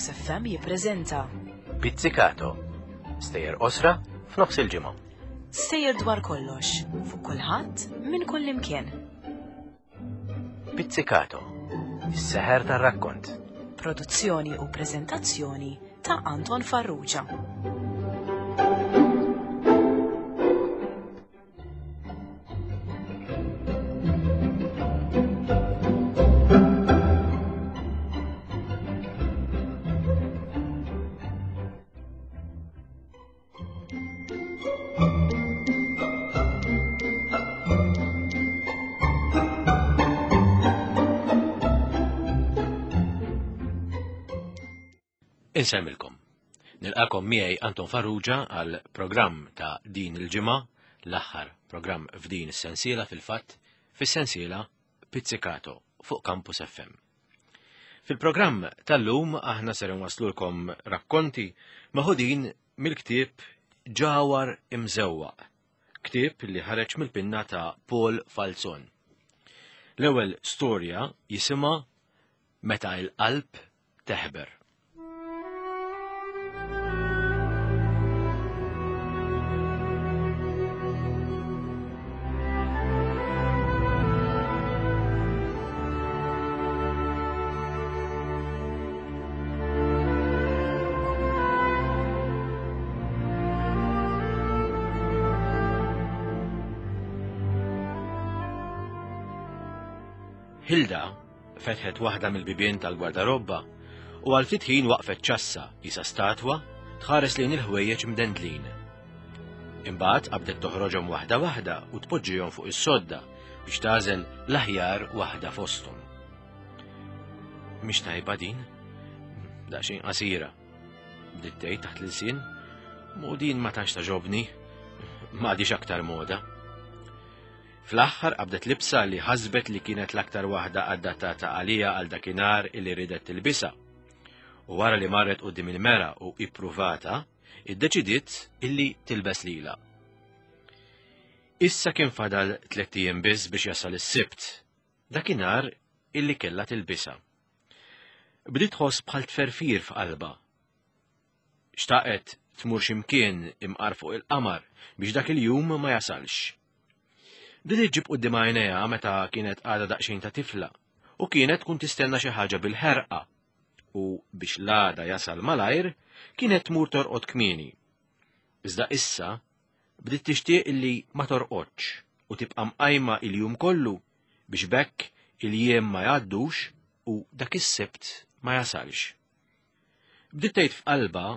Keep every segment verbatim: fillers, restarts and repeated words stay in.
Campus F M jippreżenta Pizzicato. Stejjer qosra f'nofs il-ġimgħa. Stejjer dwar kollox, fuq kulħadd, minn kull imkien. Pizzicato. Is-seħer tar-rakkont. Produzzjoni u preżentazzjoni ta' Anton Farrugia. Insemmilkom. Nilqakom miegħi Anton Farrugia għal programm ta' din il-ġimgħa, l-aħħar programm f'din is-sensiela fil-fatt, fis-sensiela Pizzicato fuq Campus F M. Fil-programm tal-lum aħna ser nwaslulkom rakkonti meħudin mill-ktieb Ġawhar Imżewwaq, ktieb li ħareġ mill-pinna ta' Paul Falzon. L-ewwel storja jisimha Meta il-qalb teħber. Hilda fetħet waħda mill-bibien tal-gwardarobba u għal ftit ħin waqfet ċassa qisha statwa tħares lejn il-ħwejjeġ mdendlin. Imbagħad qabdet toħroġhom waħda waħda u tpoġġihom fuq is-sodda biex tagħżel l-aħjar waħda fosthom. Mhix tajba din, daqsxejn qasira. Bdiet tgħid taħt l-ilsien, u din ma tantx tagħġobni, m'għadix aktar moda. Fl-aħħar qabdet libsa li ħasbet li kienet l-aktar waħda adattata għalija għal dakinhar illi ridet tilbisha. U wara li marret quddiem il-mera u ippruvata, iddeċidiet illi tilbes lilha. Issa kien fadal tliet ijiem biss biex jasal is-Sibt, dakinhar illi kellha tilbisha. Bdiet tħoss bħal tferfir f'qalbha. Xtaqet tmur x'imkien imqar fuq il-qamar biex dak il-jum ma jasalx. Bdiet iġġib quddiem għajnejha meta kienet għadha daqsxejn ta' tifla u kienet tkun tistenna xi ħaġa bil-ħerqa u biex l-għada jasal malajr kienet tmur torqod kmieni. Iżda issa bdiet tixtieq illi ma torqodx u tibqa' mqajma il-jum kollu biex b'hekk il-jiem ma jgħaddux u dak is-Sibt ma jasalx. Bdiet tgħid f'qalbha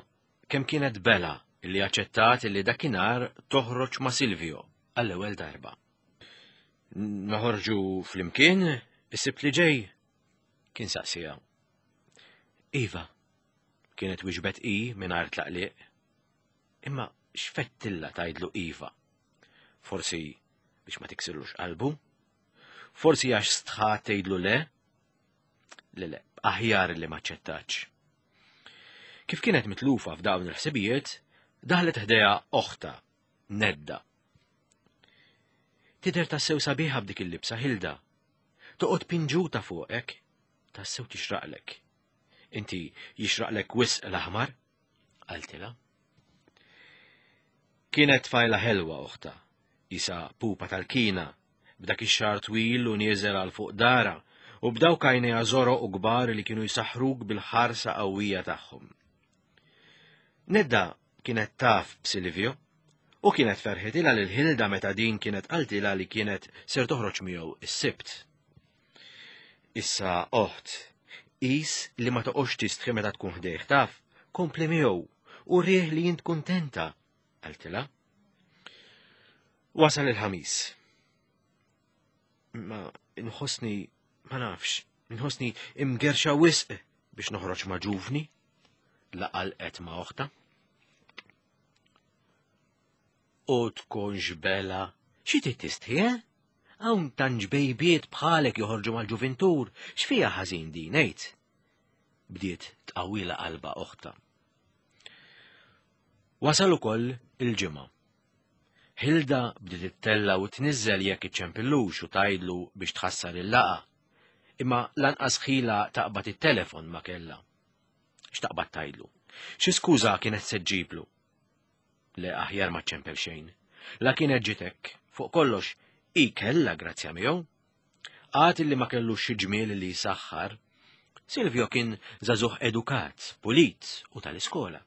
kemm kienet bela illi aċċettat illi dakinhar toħroġ ma' Silvio għall-ewwel darba. Noħorġu flimkien is-Sibt li ġej? Kien saqsija. Iva, kienet wieġbet i mingħajr tlaqliq. Imma x'fettilla tgħidlu iva? Forsi biex ma tiksirlux qalbu? Forsi għax stħat tgħidlu le? Le, le, aħjar li ma ċċettax. Kif kienet mitlufa f'dawn il-ħsibijiet, daħlet ħdejha oħta, Nedda. Tidher tassew sabiħa b'dik il-libsa, Hilda. Toqgħod pinġuta fuqek, tassew tixraqlek. Inti jixraqlek wisq l-aħmar? Qaltilha. Kienet tfajla ħelwa oħta, isa pupa tal-kina, b'dak ix-xagħar twil u nieżel għal fuq dara, u b'dawk għajnejha żoroq u kbar li kienu jsaħħruk bil-ħarsa qawwija tagħhom. Nedda kienet taf b'Silvio, u kienet ferħitilha lil Hilda meta din kienet qaltilha li kienet ser toħroġ miegħu is-Sibt. Issa oħt, qis li ma toqgħodx tistħi meta tkun ħdejh taf, kompli miegħu u rih li jint kuntenta, qaltilha. Wasal il-Ħamis. Ma nħossni, ma nafx, nħossni imgerxa wisq biex noħroġ ma' ġuvni, laqal qed ma' oħta. U tkunx bela, xi trid tistħi, eh? Hawn tant ġbejbiet bħalek joħorġu mal-ġuvintur, x'fiha ħażin din ngħid? Bdiet tqawwila qalba oħta. Wasal ukoll il-ġimgħa. Hilda bdiet ittella u tniżżel jekk iċċempillux u tgħidlu biex tħassar il-laqa, imma lanqas ħila taqbad it-telefon ma kellha. X'taqbad tgħidlu? Xi skuża kienet se ġġiblu? Le, aħjar ma ċempel xejn. La kienet ġitek, fuq kollox, i kellha grazzja miegħu. Għad illi ma kellux xi ġmiel li jsaħħar, Silvio kien żagħżugħ edukat, pulit u tal-iskola.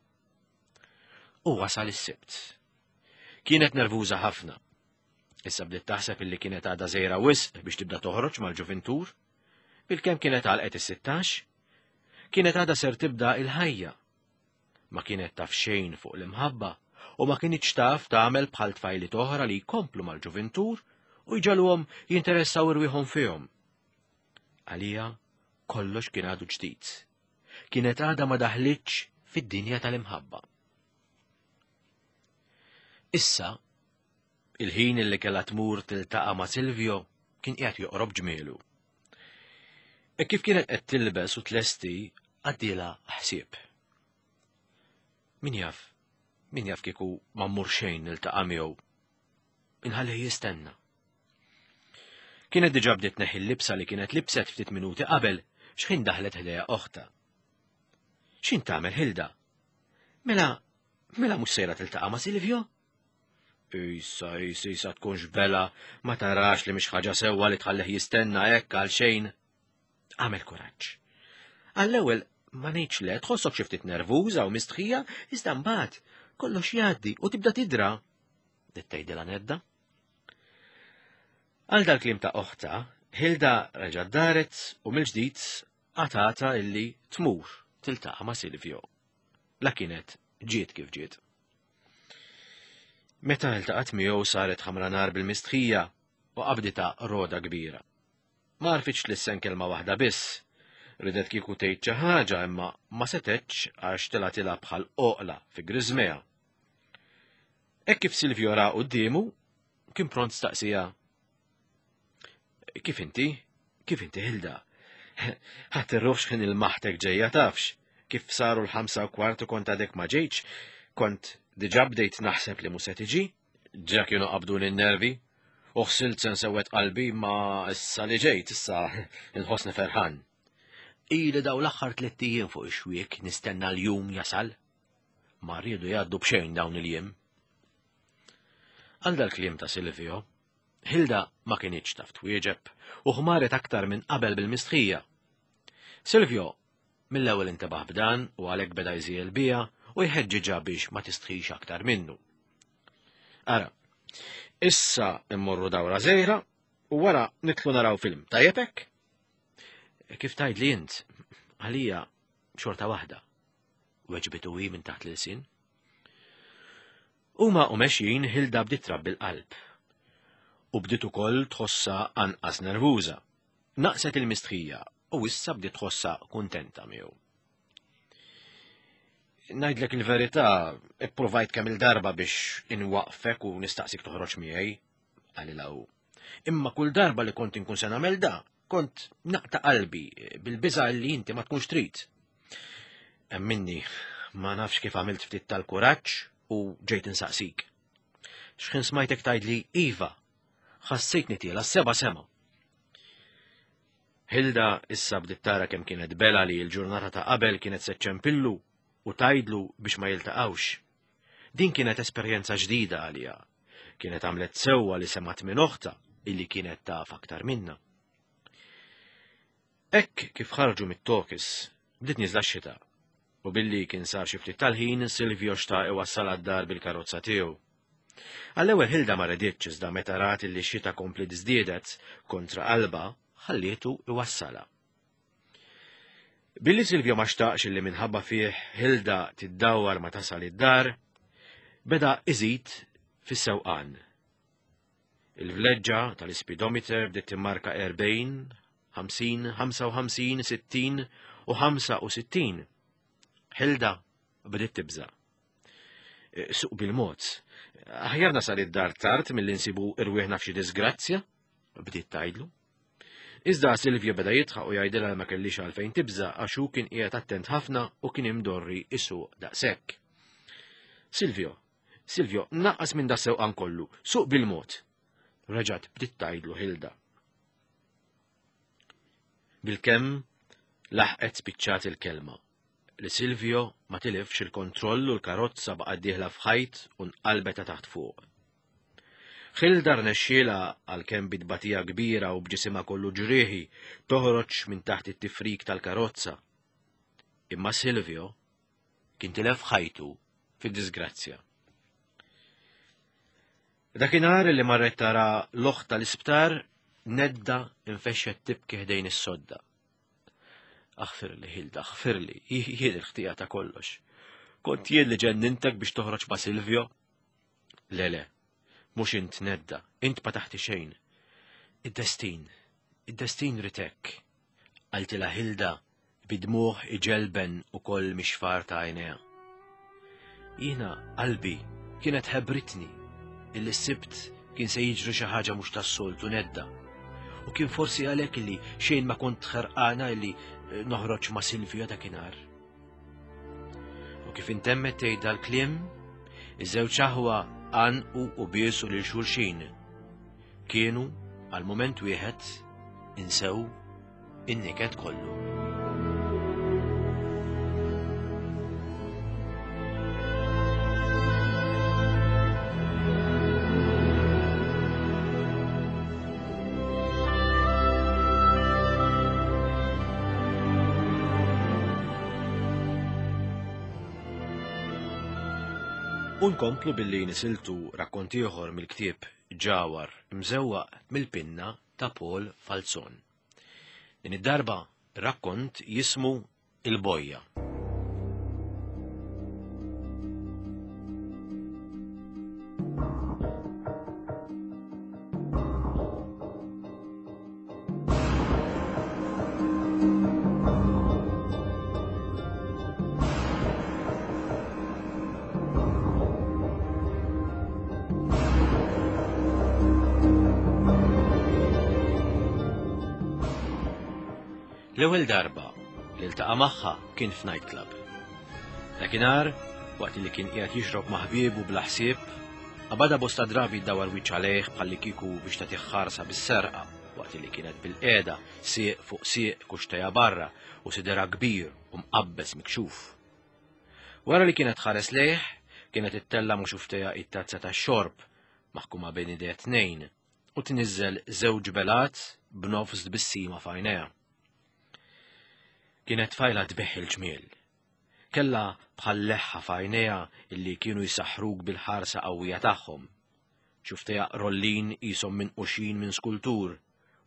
U wasal is-Sibt. Kienet nervuża ħafna. Issa bdiet taħseb illi kienet għadha żgħira wisq biex tibda toħroġ mal-ġuvintur. Bilkemm kienet għalqet is-sittax, kienet għadha ser tibda il-ħajja. Ma kienet taf xejn fuq l-imħabba u ma kinitx taf tagħmel bħal tfajliet oħra li jkomplu mal-ġuvintur u jġagħluhom jinteressaw irwieħhom fihom. Għalija kollox kien għadu ġdid. Kienet għadha ma daħlitx fid-dinja tal-imħabba. Issa, il-ħin li kellha tmur tiltaqa' ma' Silvio kien qiegħed joqrob ġmielu. E kif kienet qed tilbes u tlesti, għaddielha ħsieb. Min jaf, min jaf kieku ma mmur xejn niltaqa' miegħu. Inħallih jistenna. Kienet diġà bdiet tneħħi l-libsa li kienet libset ftit minuti qabel x'ħin daħlet ħdejha oħtha. X'int tagħmel, Hilda? Mela, mela mhux sejra tiltaqa' ma' Silvio? Issa, issa, issa tkunx bela, ma tarax li mhix ħaġa sewwa li tħallih jistenna hekk għal xejn. Għamel kuraġġ. Għall-ewwel ma ngħidx le, tħossok xi ftit nervuża u mistħija, iżda mbagħad kollox jgħaddi u tibda tidra. Bdiet tgħidilha Nedda. Għal dal-kliem ta' oħtha, Hilda reġgħet daret u mill-ġdid qatgħetha illi tmur tiltaqa' ma' Silvio. La kienet ġiet kif ġiet. Meta iltaqgħet miegħu saret ħamra nar bil-mistħija u qabditha roda kbira. Ma għarfitx tlissen kelma waħda biss. Ridet kieku tgħid xi ħaġa imma ma setgħetx għax telgħetilha bħal oqla fi griżmejha. Hekk kif Silvio ra quddiemu, kien pront staqsija. Kif inti? Kif inti, Hilda? Ħadd irruħ x'ħin il-maħtek ġejja tafx. Kif saru l-ħamsa u kwart u kont għadek ma ġejtx, kont diġà bdejt naħseb li mhux se tiġi. Ġa kienu qabduni n-nervi, u ħsilt se nsewwed qalbi ma issa li ġejt, issa nħossni ferħan. Ili daw l-aħħar tliet ijiem fuq ix-xwiek nistenna l-jum jasal. Ma rridu jgħaddu b'xejn dawn il-jiem. Għal dal-kliem ta' Silvio, Hilda ma kinitx taf twieġeb u ħmaret aktar minn qabel bil-mistħija. Silvio mill-ewwel intebaħ b'dan u għalhekk beda jżiel bija u jħeġġiġha biex ma tistħix aktar minnu. Ara, issa immorru dawra żgħira u wara nitlu naraw film. Tajjeb hekk? Kif tgħid li int, għalija xorta waħda. Weġbitu hi minn taħt l-ilsien. Huma u mexjin Hilda bdiet trabbi l-qalb. U bdiet ukoll tħossha anqas nervuża. Naqset il-mistħija u issa bdiet tħossha kuntenta miegħu. Ngħidlek il-verità, ipprovajt kemm il-darba biex inwaqfek u nistaqsik toħroġ miegħi, qalilha hu. Imma kull darba li kont inkun se nagħmel da, kont naqta' qalbi bil-biża' li inti ma tkunx trid. Emminni, ma nafx kif għamilt ftit tal-kuraġġ u ġejt insaqsik. X'ħin smajtek tgħidli iva, ħassejtni tiela seba' sema. Hilda issa bdiet tara kemm kienet bela li l-ġurnata ta' qabel kienet se ċċempillu u tgħidlu biex ma jiltaqgħux. Din kienet esperjenza ġdida għaliha. Kienet għamlet sewwa li semgħet minn oħtha illi kienet taf aktar minna. Hekk kif ħarġu mit-tokis, bdiet nieżla x-xita. U billi kien sar xi ftit tal-ħin, Silvio xtaq iwassal għad-dar bil-karozza tiegħu. Għall-ewwel Hilda ma reditx iżda meta rat illi x-xita kompliet żdiedet kontra qalbha, ħallietu iwassalha. Billi Silvio ma xtaqx illi minħabba fih Hilda tiddawwar ma tasal id-dar, beda iżid fis-sewqan. Il-vleġġa tal-speedometer bdiet timmarka erbgħin, ħamsin, ħamsa u ħamsin, sittin u ħamsa u sittin. Hilda bdiet tibża'. Suq bil-mod. Aħjar nasal id-dar tard milli nsibu irwieħna f'xi disgrazzja, bdiet tgħidlu. Iżda Silvio beda jidħaq u jgħidilha ma kellix għalfejn tibża' għax hu kien qiegħed attent ħafna u kien imdorri isuq daqshekk. Silvio, Silvio, naqqas minn das-sewqan kollu, suq bil-mod. Reġgħet bdiet tgħidlu Hilda. Bilkemm laħqet spiċċat il-kelma. li Silvio ma tilifx il-kontroll u l-karozza baqgħet dieħla f'ħajt u nqalbet ta' taħt fuq. Hilda rnexxielha għalkemm bi tbatija kbira u b'ġisimha kollu ġrieħi toħroġ minn taħt it-tifrik tal-karozza. Imma Silvio kien tilef ħajtu fid-disgrazzja. Dakinhar li marret tara l-oħt tal-isptar, Nedda infexxet tibki ħdejn is-sodda. Aħfirli, Hilda, aħfirli, jien il-ħtija ta' kollox. Kont jien li ġennintek biex toħroġ ma' Silvio? Le, le, mhux int Nedda, int ma taħti xejn. Id-destin, id-destin ritek. Qaltilha Hilda bidmuħ iġelben ukoll mixfar ta' għajnejha. Jiena qalbi kienet ħebritni illi s-Sibt kien se jiġri xi ħaġa mhux tas-soltu Nedda. U kien forsi għalhekk illi xejn ma kont ħerqana illi noħroġ ma' Silvio dakinhar. U kif intemmet tgħid dal-kliem, iż-żewġ aħwa għanqu u biesu lil xulxin. Kienu għal mument wieħed insew in-niket kollu. Unkomplu billi nisiltu rakkont ieħor mill-ktieb Ġawhar imżewwaq mill-pinna ta' Paul Falzon. Din id-darba rakkont jismu Il-Bojja. L-ewwel darba li ltaqa' magħha kien f'nightclub. Dakinhar, waqt li kien qiegħed jixrob ma' ħbiebu bla ħsieb, qabadha bosta drabi ddawar wiċċ għalih bħalli kieku biex tagħtih ħarsa bis-serqa waqt li kienet bil-qiegħda sieq fuq sieq kuxtejha barra u sidera kbir u mqabbes mikxuf. Wara li kienet ħares lejh, kienet ittella' mhux xuftejha it-tazza tax-xorb maħkuma bejn idejha tnejn u tniżżel żewġ belat b'nofs tbissima f'għajnejha. Kienet tfajla tbeħ il-ġmiel. Kella bħal leħħa f'għajnejha illi kienu jsaħħruk bil-ħarsa qawwija tagħhom. Xuftejha rollin qishom minquxin minn skultur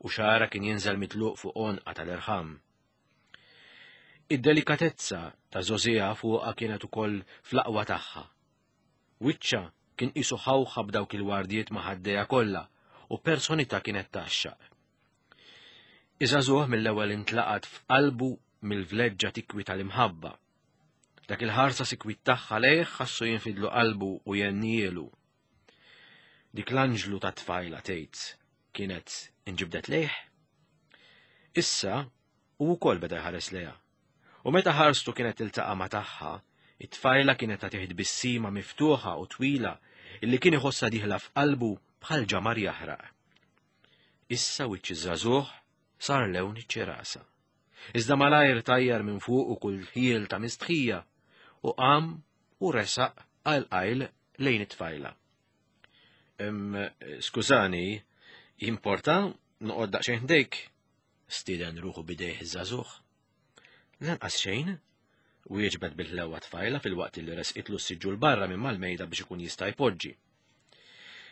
u xagħarha kien jinżel mitluq fuq għonqa tal-irħam. Id-delikatezza ta' żgħożiha fuqha kienet ukoll fl-aqwa tagħha. Wiċċha kien qisu ħawħa b'dawk il-wardijiet ma' ħaddejha kollha u personità kienet tgħaxxaq. Iż-żagħżugħ mill-ewwel intlaqat f'qalbu mill-vleġġa tikwi tal-imħabba. Dak il-ħarsa sikwit tagħha lejh ħassu jinfidlu qalbu u jennielu. Dik l-anġlu ta' tfajla tgħid kienet inġibdet lejh. Issa hu wkoll beda jħares lejha. U meta ħarstu kienet tiltaqa' ma' tagħha, it-tfajla kienet tagħtih tbissima miftuħa u twila illi kien iħossha dieħla f'qalbu bħal ġamar jaħraq. Issa wiċċ iż-żagħżugħ sar lewn iċ-ċirasa. Iżda malajr tajjar minn fuq u kull ħiel ta' mistħija u qam u resaq għal qajl lejn it-tfajla. Skużani, jimporta noqgħod daqsxejn ħdejk? Stieden ruħu bidejh iż-żagħżugħ. Lanqas xejn, wieġbet bil-ħlewwa tfajla fil-waqt li resqitlu s-siġġu l-barra minn mal-mejda biex ikun jista' jpoġġi.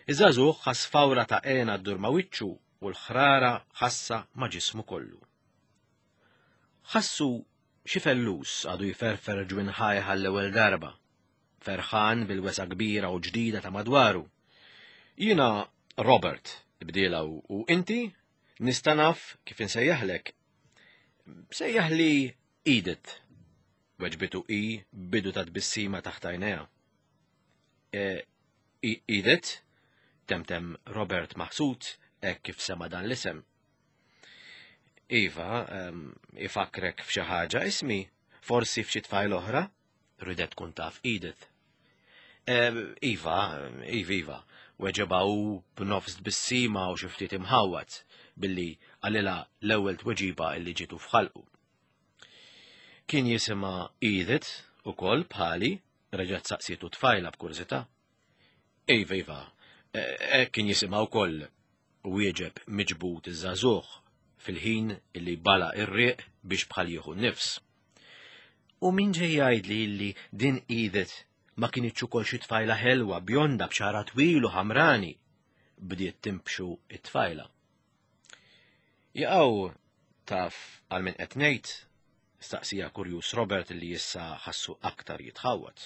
Iż-żagħżugħ ħass fawra ta' għena ddur ma' wiċċu u l-ħrara ħassa ma' ġismu kollu. Ħassu xi fellus għadu jferfer ġwinħajh għall-ewwel darba, ferħan bil-wesa kbira u ġdida ta' madwaru. Jiena Robert, bdiela u inti nista' naf kif insejjaħlek. Sejjaħli Edith, weġbitu hi bidu ta' tbissima taħt għajnejha. Edith, temtem Robert maħsud hekk kif sema dan l-isem. Iva, ifakrek f'xi ħaġa ismi, forsi f'xi tfajl oħra, ridet tkun taf Edith. Iva, iva, iva, weġeba hu b'nofs tbissima u xi ftit imħawwad billi qalilha l-ewwel tweġiba illi ġietu f'ħalqu. Kien jisimha Edith ukoll bħali, reġgħet saqsietu t-tfajla b'kurżità. Iva, iva, e, kien jisimha wkoll, wieġeb miġbud iż-żagħżugħ fil-ħin illi bala' r-riq biex bħal jieħu nifs. U min ġej jgħidli illi din Edith ma kinitx ukoll xi tfajla ħelwa bjonda b'xagħarha twil u ħamrani, bdiet timbxu it-tfajla. Jaqaw taf għal min qed ngħid, staqsieha kurjuż Robert li issa ħassu aktar jitħawwad.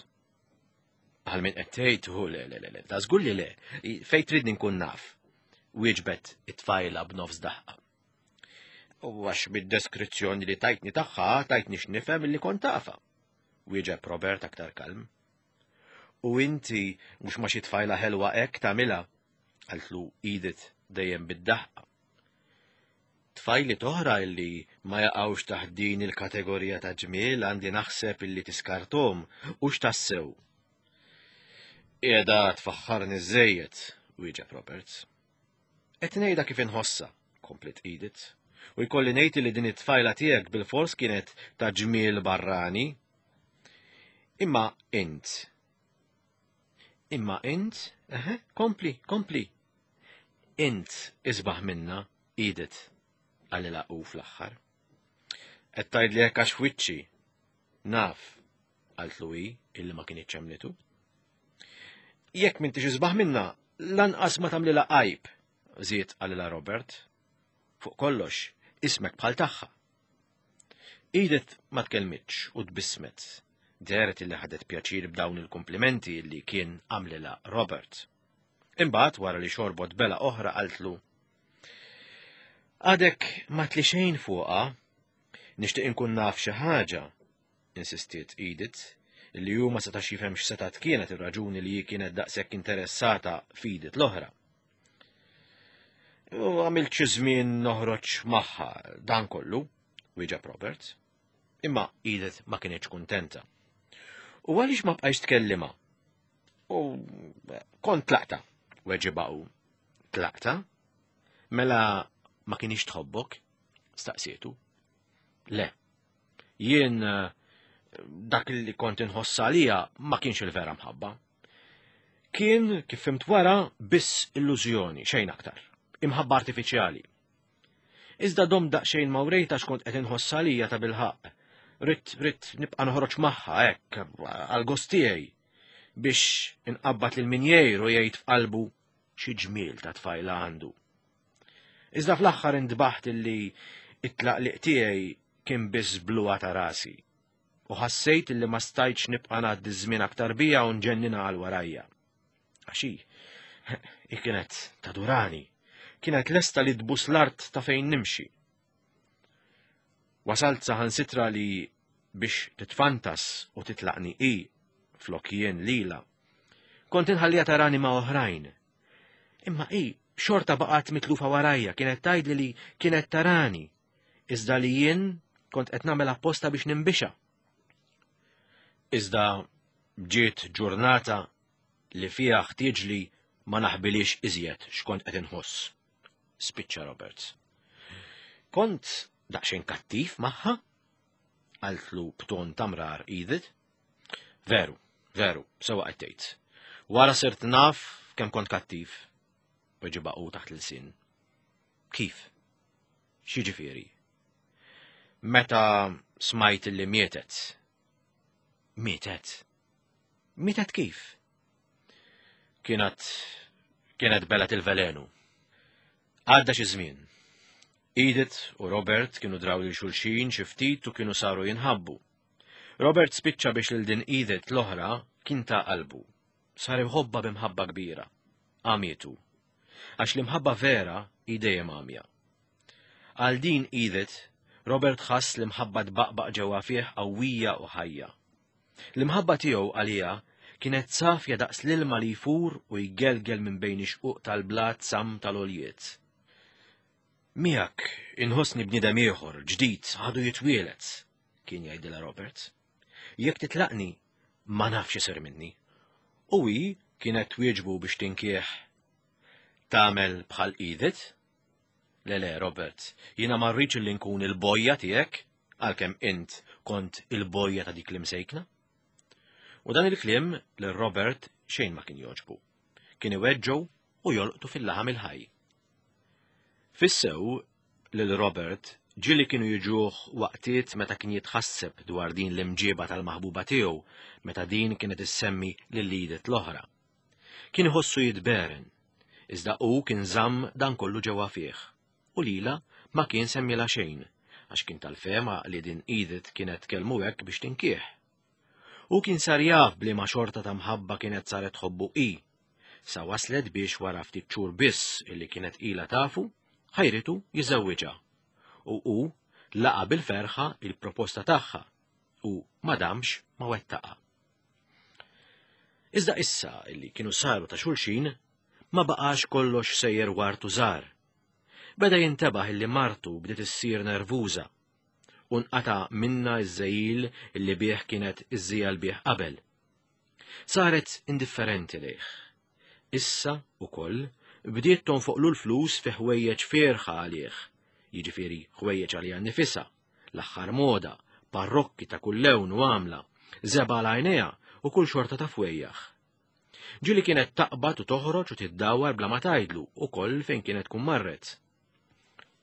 Għal min qed tgħid hu le le le, ta' żgur li le, fejn tridni nkun naf, wieġbet it-tfajla b'nofs daħqa. U għax bid-deskrizzjoni li tajtni tagħha tajtni x'nifhem li kont tafha. Wieġeb Robert aktar kalm. U inti mhux ma xi tfajla ħelwa hekk tagħmilha, qaltlu Edith dejjem bid-daħqa. Tfajliet oħra illi ma jaqgħux taħt din il-kategorija ta' ġmiel għandi naħseb illi tiskarthom u x'tassew. Qiegħda tfaħħarni żejjed, wieġeb Roberts. Qed ngħidha kif inħossha, kompliet Edith, u jkolli ngħid li din it-tfajla tiegħek bil-fors kienet ta' ġmiel barrani. Imma int. Imma int, eħe, kompli, kompli. Int isbaħ minna, Edith, qalilha hu fl-aħħar. Qed tgħidli hekk għax wiċċi. Naf, qaltlu hi illi ma kinitx emmnitu. Jekk m'intix isbaħ minna, lanqas ma tagħmlilha għajb, żied qalilha Robert. Fuq kollox, ismek bħal tagħha. Edith ma tkellmitx u tbissmet. Dehret illi ħadet pjaċir b'dawn il-komplimenti li kien għamlilha Robert. Imbagħad wara li xorbot belgħa oħra qaltlu. Għadek ma għedtli xejn fuqha, nixtieq inkun naf xi ħaġa, insistiet Edith, li hu ma setax jifhem x'setat kienet ir-raġuni li hi kienet daqshekk interessata f'Edith l-oħra. U għamilt xi żmien noħroġ magħha dan kollu, wieġeb Robert. Imma Edith ma kienx kuntenta. U għaliex ma bqajx tkellimha? U kont tlaqtha, weġibha hu. Tlaqtha? Mela ma kinitx tħobbok? Staqsietu. Le. Jien dak li kont inħoss għaliha ma kienx il-vera mħabba. Kien, kif fhimt wara, biss illużjoni, xejn aktar. Imħabba artifiċjali. Iżda domt daqsxejn ma wrejtha x'kont qed inħoss għaliha ta' bilħaqq. Ridt, ridt nibqa' noħroġ magħha hekk għal gost tiegħi biex inqabbad lil min jgħir u jgħid f'qalbu xi ġmiel ta' tfajla għandu. Iżda fl-aħħar intbaħt illi it-tlaqliq tiegħi kien biss bluha ta' rasi. U ħassejt illi ma stajtx nibqa' ngħaddi żmien aktar bija u nġenninha għal warajja. Għax hi, hi kienet tadurani, kienet lesta li tbus l-art ta' fejn nimxi. Wasalt saħansitra li biex titfantas u titlaqni i flok jien lila. Kont inħallija tarani ma' oħrajn. Imma i xorta baqgħet mitlufa warajja, kienet tgħidli li kienet tarani, iżda li jien kont qed nagħmel apposta biex ninbixha. Iżda ġiet ġurnata li fiha ħtieġli ma naħbilix iżjed x'kont qed inħoss. Spiċċa Roberts. Kont daqsxejn kattiv magħha? Qaltlu b'ton ta' mrar Edith. Veru, veru, sewwa qed tgħid. Wara sirt naf kemm kont kattiv. Weġibha hu taħt l-ilsien. Kif? X'jiġifieri? Meta smajt li mietet. Mietet? Mietet kif? Kienet kienet belgħet il-velenu. Għadda xi żmien. Edith u Robert kienu draw lil xulxin xi ftit u kienu saru jinħabbu. Robert spiċċa biex lil din Edith l-oħra kien ta qalbu. Sar iħobbha b'imħabba kbira. Għamietu. Għax l-imħabba vera hi dejjem għamja. Għal din Edith, Robert ħass l-imħabba tbaqbaq ġewwa fih qawwija u ħajja. L-imħabba tiegħu għaliha kienet safja daqs l-ilma li jfur u jgelgel minn bejn ix-xquq tal-blat sam tal-għoljiet. Miegħek inħossni bniedem ieħor ġdid għadu jitwielet, kien jgħidilha Robert. Jekk titlaqni, ma nafx isir minni. U hi kienet twieġbu biex tinkieħ. Tagħmel bħal Edith? Le le, Robert, jiena ma rridx li nkun il-bojja tiegħek, għalkemm int kont il-bojja ta' dik l-imsejkna. U dan il-kliem lil Robert xejn ma kien jogħġbu. Kien iweġġgħu u jolqtu fil-laħam il-ħaj. Fissew lil Robert ġieli kienu jiġuh waqtiet meta kien jitħasseb dwar din l-imġiba tal-maħbuba tiegħu meta din kienet issemmi lil Edith l-oħra. Kien iħossu jitberen, iżda hu kien żamm dan kollu ġewwa fih u lila ma kien semmilha xejn għax kien tal-fehma li din Edith kienet tkellmu hekk biex tinkih. U kien sar jaf b'liema xorta ta' mħabba kienet saret tħobbu i, sa waslet biex wara ftit xhur biss illi kienet ilha tafu, ħajritu jiżewwiġha. U hu laqa bil-ferħa il-proposta tagħha u ma damx ma wettaqa. Iżda issa illi kienu saru ta' xulxin, ma baqax kollox sejjer wartu żar. Beda jintebaħ illi martu bdiet issir nervuża u nqata' minna iż-żejil illi bih kienet iżżejjel bih qabel. Saret indifferenti lejh. Issa ukoll bdiet tonfoqlu l-flus fi ħwejjeġ fierħa għalih, jiġifieri ħwejjeġ għaliha nnifisha, l-aħħar moda, parrokki ta' kull lewn u għamla, żebgħa għal għajnejha u kull xorta ta' fwejjaħ. Ġieli kienet taqbad u toħroġ u tiddawar bla ma tgħidlu ukoll fejn kienet tkun marret.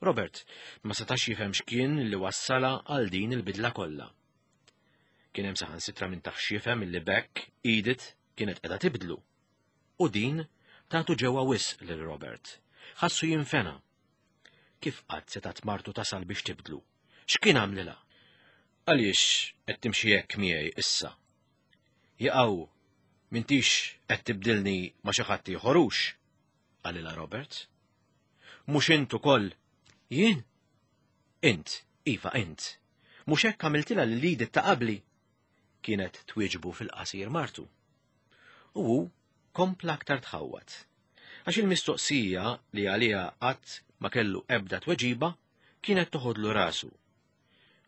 Robert ma setax jifhem x'kien li wassala għal din il-bidla kollha. Kien hemm saħansitra minn taħx jifhem li bekk Edith kienet qiegħda tibdlu. U din tagħtu ġewwa wisq lil Robert. Ħassu jinfena. Kif qatt setgħet martu tasal biex tibdlu? X'kien għamlilha? Għaliex qed timxi hekk miegħi issa? Jaqgħu m'intix qed tibdilni ma' xi ħadd ieħor hux? Qalilha Robert. Mhux int ukoll? Jien? Int, iva int. Mhux hekk għamiltilha lil Edith ta' qabli? Kienet twieġbu fil-qasir martu. U hu kompla aktar tħawwad. Għax il-mistoqsija li għaliha qatt ma kellu ebda tweġiba kienet toħodlu rasu.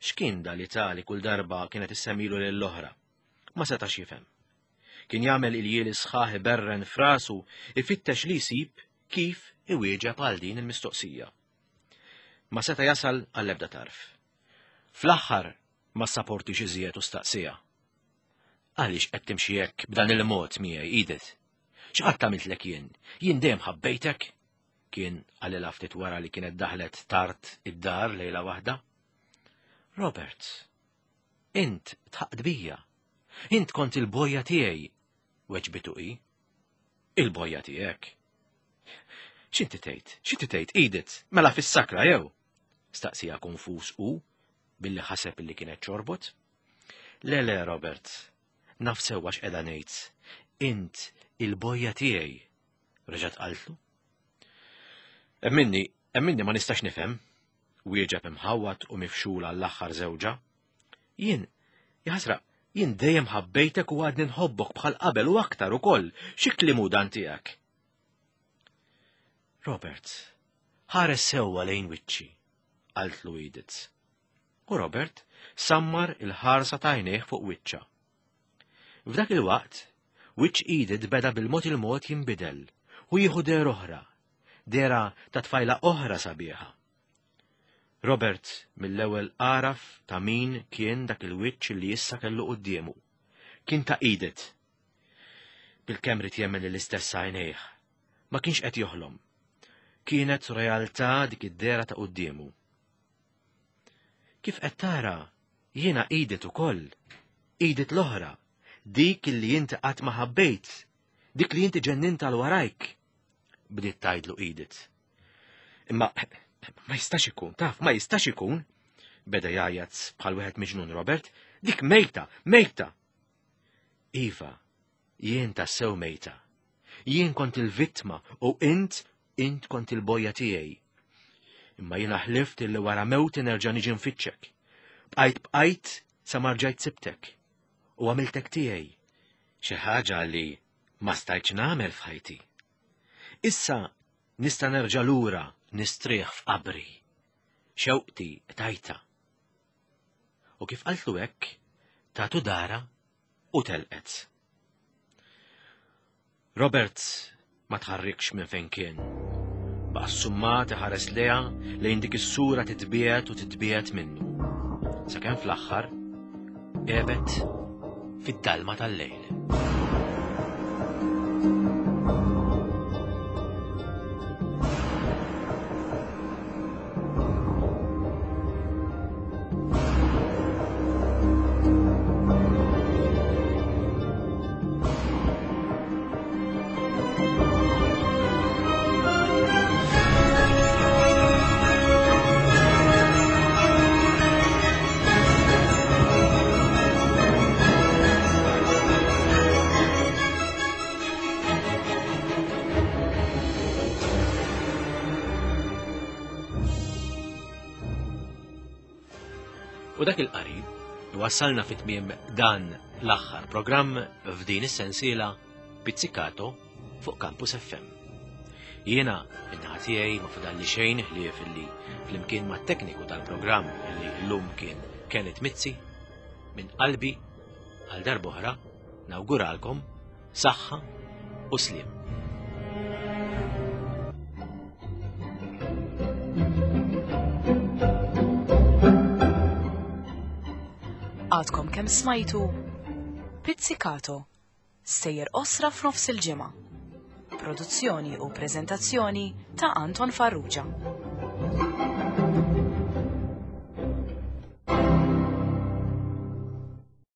X'kien da li tali kull darba kienet issemmilu lill-oħra? Ma setax jifhem. Kien jagħmel iljieli sħaħ iberren f'rasu ifittex li jsib kif iwieġeb għal din il-mistoqsija. Ma seta' jasal għall-ebda tarf. Fl-aħħar ma ssaportix iżjed u staqsija. Għaliex qed timxi hekk b'dan il-mod miegħi, Edith? X'qatt għamiltlek jien? Jien dejjem ħabbejtek? Kien qalilha ftit wara li kienet daħlet tard id-dar lejla waħda. Robert, int tħaqt bija. Int kont il-bojja tiegħi, weġbitu hi. Il-bojja tiegħek. X'inti tgħid? X'inti tgħid, Edith? Mela fis-sakra jew? Staqsija konfuż u billi ħaseb illi kienet ċorbot. Le, le, Robert, naf sewwa x'qiegħda ngħid. Int il-bojja tiegħi, reġgħet qaltlu. Emminni, emminni ma nistax nifhem, wieġeb imħawwad u mifxul għall-aħħar żewġa. Jien, jaħasra, jien dejjem ħabbejtek u għadni nħobbok bħal qabel u aktar ukoll. Xi kliem hu dan tiegħek? Robert, ħares sewwa lejn wiċċi, qaltlu Edith. U Robert sammar il-ħarsa ta' għajnejh fuq wiċċha. F'dak il-waqt, wiċċ Edith beda bil-mod il-mod jinbidel u jieħu dehra oħra, dehra ta' tfajla oħra sabiħa. Robert mill-ewwel għaraf ta' min kien dak il-wiċċ li issa kellu quddiemu. Kien ta' Edith. Bil-kemm ried jemmen l-istess għajnejh. Ma kienx qed joħlom. Kienet realtà dik id-dehra ta' quddiemu. Kif qed tara, jiena Edith ukoll, Edith l-oħra, dik li inti qatt ma ħabbejt, dik li inti ġennint għal warajk, bdiet tgħidlu Edith. Imma ma jistax ikun, taf, ma jistax ikun, beda jgħajjat bħal wieħed miġnun Robert, dik mejta, mejta. Iva, jien tassew mejta. Jien kont il-vittma u int, int kont il-bojja tiegħi. Imma jiena ħlift illi wara mewti nerġa' niġi nfittxek. Bqajt bqajt sa ma rġajt sibtek u għamiltek tiegħi. Xi ħaġa li ma stajtx nagħmel f'ħajti. Issa nista' nerġa' lura nistrieħ f'qabri. Xewqti tajta. U kif qaltlu hekk, tatu dara u telqet. Robert ma tħarrikx minn fejn kien. Baqa' ssummat iħares lejha lejn dik is-sura titbiegħed u titbiegħed minnu. Sakemm fl-aħħar għebet fid-dalma tal-lejl. U dak il-qari wassalna fit tmiem dan l-aħħar programm f'din is-sensiela Pizzicato fuq Campus F M. Jiena in-naħa tiegħi ma fadalli xejn ħlief illi flimkien mat-tekniku tal-programm, li llum kien Kenneth Mizzi, minn qalbi għal darb'oħra nawguralkom saħħa u sliem. Għadkom kemm smajtu Pizzicato, stejjer qosra f'nofs il-ġimgħa. Produzzjoni u preżentazzjoni ta' Anton Farrugia.